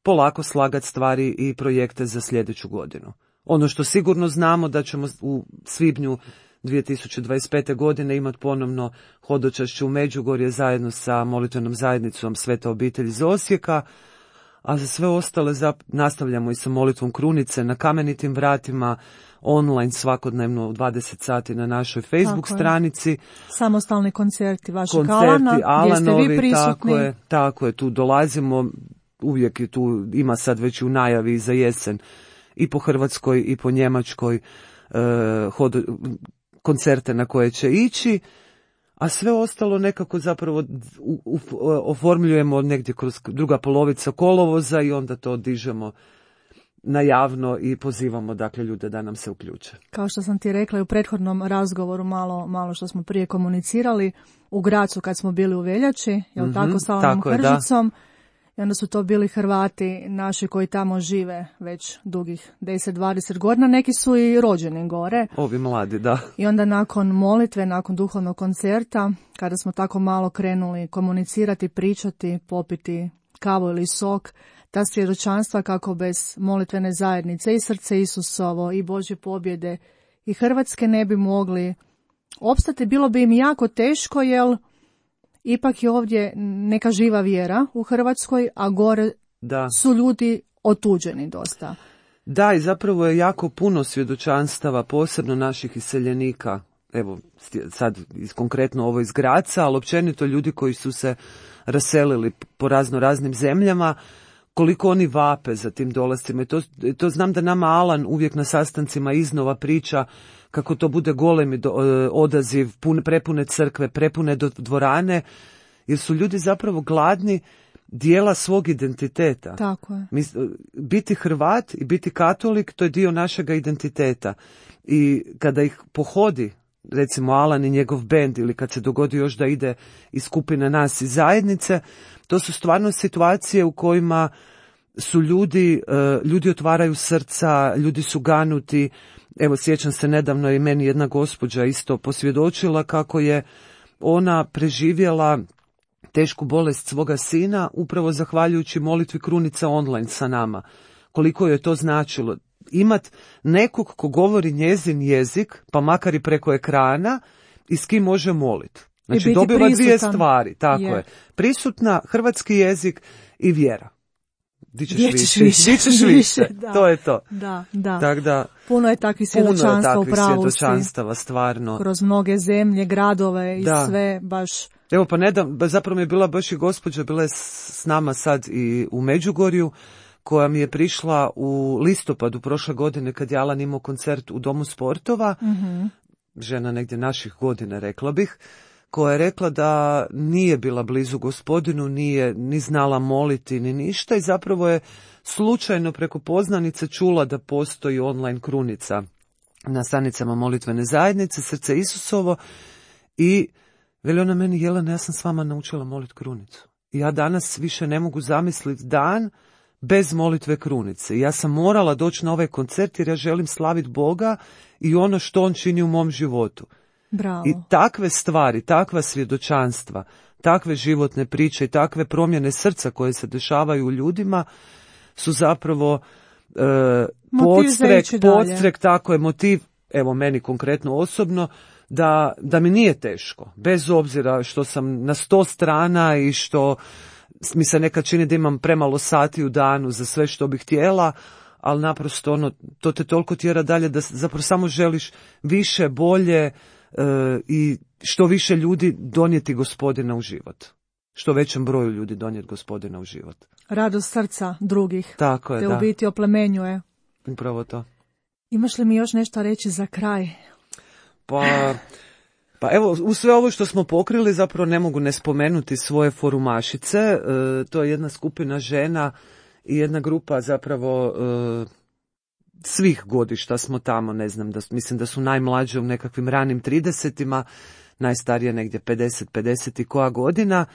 polako slagati stvari i projekte za sljedeću godinu. Ono što sigurno znamo da ćemo u svibnju dvije tisuće dvadeset pete. godine imati ponovno hodočašće u Međugorje zajedno sa molitvenom zajednicom Sveta obitelj iz Osijeka, a za sve ostale zap- nastavljamo i sa molitvom krunice na Kamenitim vratima, online svakodnevno u dvadeset sati na našoj Facebook stranici. Samostalni koncerti vašeg koncerti, Alana, Alanovi, gdje ste vi prisutni. Tako je, tako je, tu dolazimo, uvijek je tu, ima sad već u najavi za jesen i po Hrvatskoj i po Njemačkoj eh, hod, koncerte na koje će ići, a sve ostalo nekako zapravo u, u, oformljujemo negdje kroz druga polovica kolovoza i onda to dižemo na javno i pozivamo dakle ljude da nam se uključe. Kao što sam ti rekla i u prethodnom razgovoru, malo, malo što smo prije komunicirali, u Gracu kad smo bili u veljači, jel mm-hmm, tako, sa onom Hržicom, i onda su to bili Hrvati naši koji tamo žive već dugih deset dvadeset godina, neki su i rođeni gore. Ovi mladi, da. I onda nakon molitve, nakon duhovnog koncerta, kada smo tako malo krenuli komunicirati, pričati, popiti kavu ili sok, ta svjedočanstva kako bez molitvene zajednice i Srce Isusovo i Božje pobjede i Hrvatske ne bi mogli opstati, bilo bi im jako teško, jer ipak je ovdje neka živa vjera u Hrvatskoj, a gore da. su ljudi otuđeni dosta. Da, i zapravo je jako puno svjedočanstava, posebno naših iseljenika, evo sad konkretno ovo iz Graca, ali općenito ljudi koji su se raselili po razno raznim zemljama, koliko oni vape za tim dolascima. I to, to znam da nama Alan uvijek na sastancima iznova priča kako to bude golemi do, odaziv, pun, prepune crkve, prepune do, dvorane, jer su ljudi zapravo gladni dijela svog identiteta. Tako je. Mi, biti Hrvat i biti katolik, to je dio našega identiteta. I kada ih pohodi, recimo Alan i njegov bend, ili kad se dogodi još da ide iz skupine nas iz zajednice, to su stvarno situacije u kojima su ljudi, ljudi otvaraju srca, ljudi su ganuti. Evo, sjećam se, nedavno je meni jedna gospođa isto posvjedočila kako je ona preživjela tešku bolest svoga sina upravo zahvaljujući molitvi Krunica online sa nama. Koliko je to značilo imat nekog ko govori njezin jezik, pa makar i preko ekrana, i s kim može moliti. Znači, dobiva prisutan. Dvije stvari, tako je. je. Prisutna, hrvatski jezik i vjera. Di ćeš više, više, di ćeš više. Da, to je to. Da, da. Tak da, puno je takvih svjedočanstva u pravosti. Svjedočanstava, stvarno. Kroz mnoge zemlje, gradove i da. sve baš. Evo, pa nedam, zapravo mi je bila baš i gospođa, bila je s nama sad i u Međugorju, koja mi je prišla u listopadu prošle godine kad je Alan imao koncert u Domu sportova, mm-hmm. žena negdje naših godina, rekla bih, koja je rekla da nije bila blizu Gospodinu, nije ni znala moliti ni ništa i zapravo je slučajno preko poznanice čula da postoji online krunica na stranicama molitvene zajednice Srce Isusovo i veli ona meni: Jelena, ja sam s vama naučila moliti krunicu. I ja danas više ne mogu zamisliti dan bez molitve krunice. Ja sam morala doći na ovaj koncert jer ja želim slaviti Boga i ono što on čini u mom životu. Bravo. I takve stvari, takva svjedočanstva, takve životne priče i takve promjene srca koje se dešavaju u ljudima su zapravo e, podstrek, podstrek, tako je, motiv, evo meni konkretno osobno, da, da mi nije teško, bez obzira što sam na sto strana i što mi se nekad čini da imam premalo sati u danu za sve što bih htjela, ali naprosto ono, to te toliko tjera dalje da zapravo samo želiš više, bolje e, i što više ljudi donijeti Gospodina u život. Što većem broju ljudi donijeti Gospodina u život. Radost srca drugih. Tako je, te da. u biti oplemenjuje. Upravo to. Imaš li mi još nešto reći za kraj? Pa... Pa evo, u sve ovo što smo pokrili zapravo ne mogu ne spomenuti svoje forumašice. E, to je jedna skupina žena i jedna grupa zapravo e, svih godišta smo tamo, ne znam, da, mislim da su najmlađe u nekakvim ranim tridesetima, najstarije negdje pedeset, pedeset i koja godina,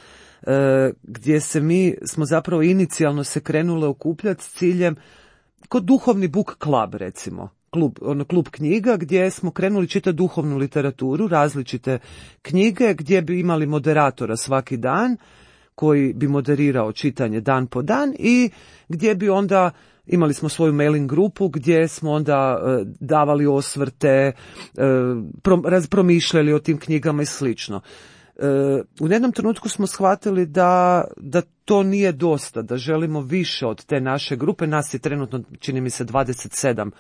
e, gdje se mi smo zapravo inicijalno se krenule okupljati s ciljem, kod duhovni book club recimo. Klub, ono, klub knjiga gdje smo krenuli čitati duhovnu literaturu, različite knjige gdje bi imali moderatora svaki dan koji bi moderirao čitanje dan po dan i gdje bi onda imali smo svoju mailing grupu gdje smo onda e, davali osvrte, e, pro, raz, promišljali o tim knjigama i slično. E, u jednom trenutku smo shvatili da, da to nije dosta, da želimo više od te naše grupe, nas je trenutno, čini mi se, dvadeset sedam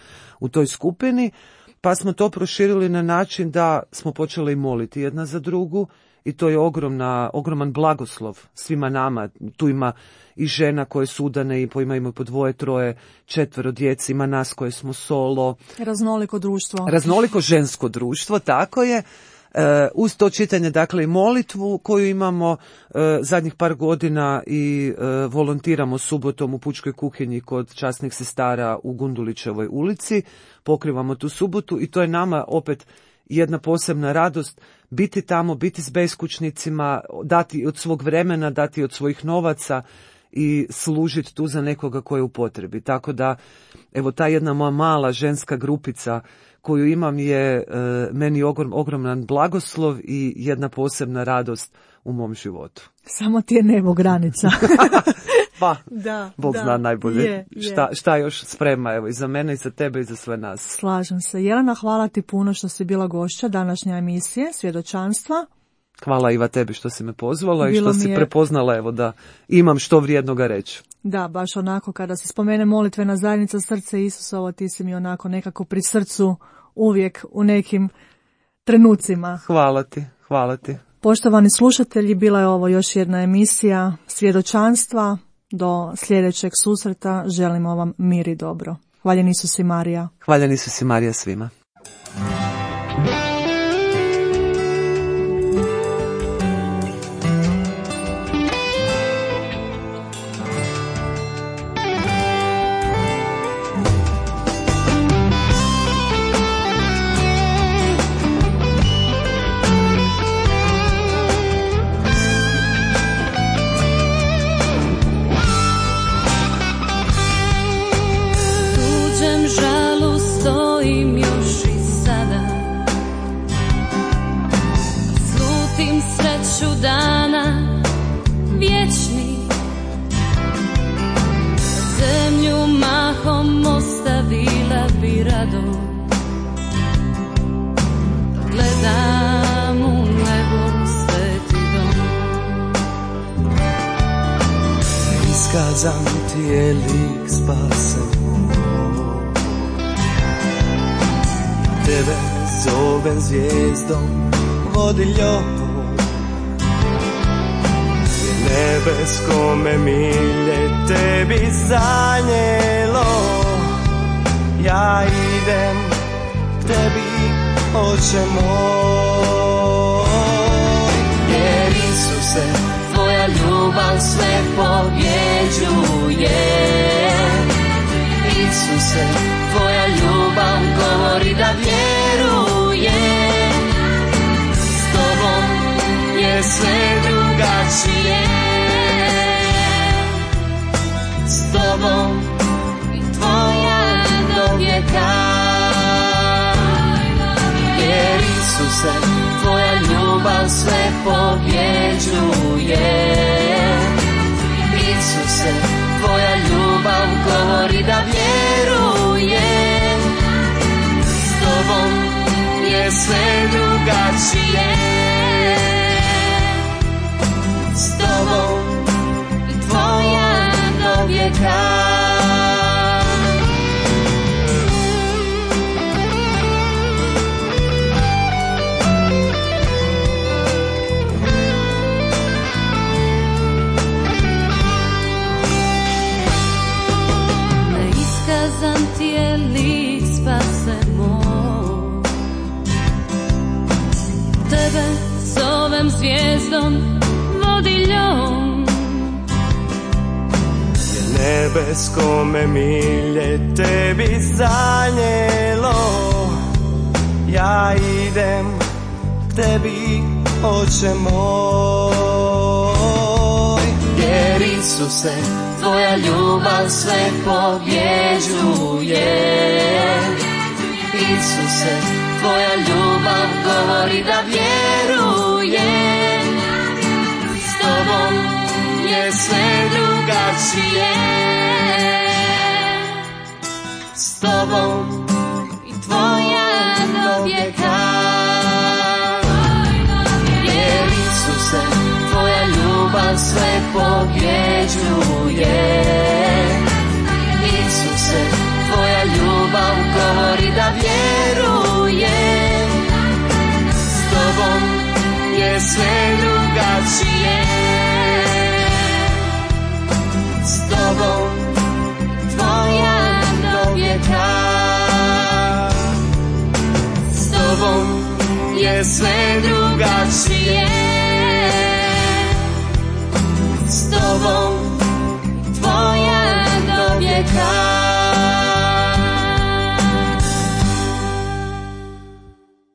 u toj skupini, pa smo to proširili na način da smo počeli moliti jedna za drugu i to je ogromna, ogroman blagoslov svima nama. Tu ima i žena koje su udane i imaju po dvoje, troje, četvero djece, ima nas koje smo solo. Raznoliko društvo. Raznoliko žensko društvo, tako je. Uh, uz to čitanje, dakle, i molitvu koju imamo uh, zadnjih par godina i uh, volontiramo subotom u pučkoj kuhinji kod časnih sestara u Gundulićevoj ulici, pokrivamo tu subotu i to je nama opet jedna posebna radost biti tamo, biti s beskućnicima, dati od svog vremena, dati od svojih novaca i služiti tu za nekoga koji je u potrebi. Tako da, evo, ta jedna moja mala ženska grupica koju imam je e, meni ogrom, ogroman blagoslov i jedna posebna radost u mom životu. Samo ti je nebo granica. Pa, da, Bog da, zna najbolje je, je. Šta, šta još sprema, evo, i za mene i za tebe i za sve nas. Slažem se. Jelena, hvala ti puno što si bila gošća današnje emisije Svjedočanstva. Hvala Iva tebi što si me pozvala Bilo i što si je... prepoznala, evo, da imam što vrijednoga reći. Da, baš onako kada se spomene molitvena zajednica Srce Isusovo, ti si mi onako nekako pri srcu uvijek u nekim trenucima. Hvala ti, hvala ti. Poštovani slušatelji, bila je ovo još jedna emisija Svjedočanstva. Do sljedećeg susreta želimo vam mir i dobro. Hvaljen Isus i Marija. Hvaljen Isus i Marija svima. Iskazan ti je lik spasen moj, tebe zovem zvijezdom vodiljom, nebeskome milje tebi sanjelo. Ja idem k tebi, Oče moj, jer Isuse, tvoja ljubav sve pobjeđuje. Isuse, tvoja ljubav govori da vjeruje. S tobom je sve drugačije. S tobom i tvoja do vijeka. Jer Isuse, tvoja ljubav sve pobjeđuje. Isuse, tvoja ljubav govori da vjeruje. S tobom je sve drugačije. S tobom i vijeka. Neiskazan ti je lik spase moj, tebe zovem zvijezdom vodiljom. Nebesko me milje tebi zanjelo, ja idem tebi, oče moj. Jer Isuse, tvoja ljubav sve pobjeđuje. Isuse, tvoja ljubav govori da vjerujem. S tobom je sve drugačije. S tobom i tvoja do vijeka. Jer Isuse, tvoja ljubav sve pobjeđuje. Isuse, tvoja ljubav govori da vjerujem. S tobom je sve drugačije. S tobom tvoja do vijeka. S tobom je sve drugačije.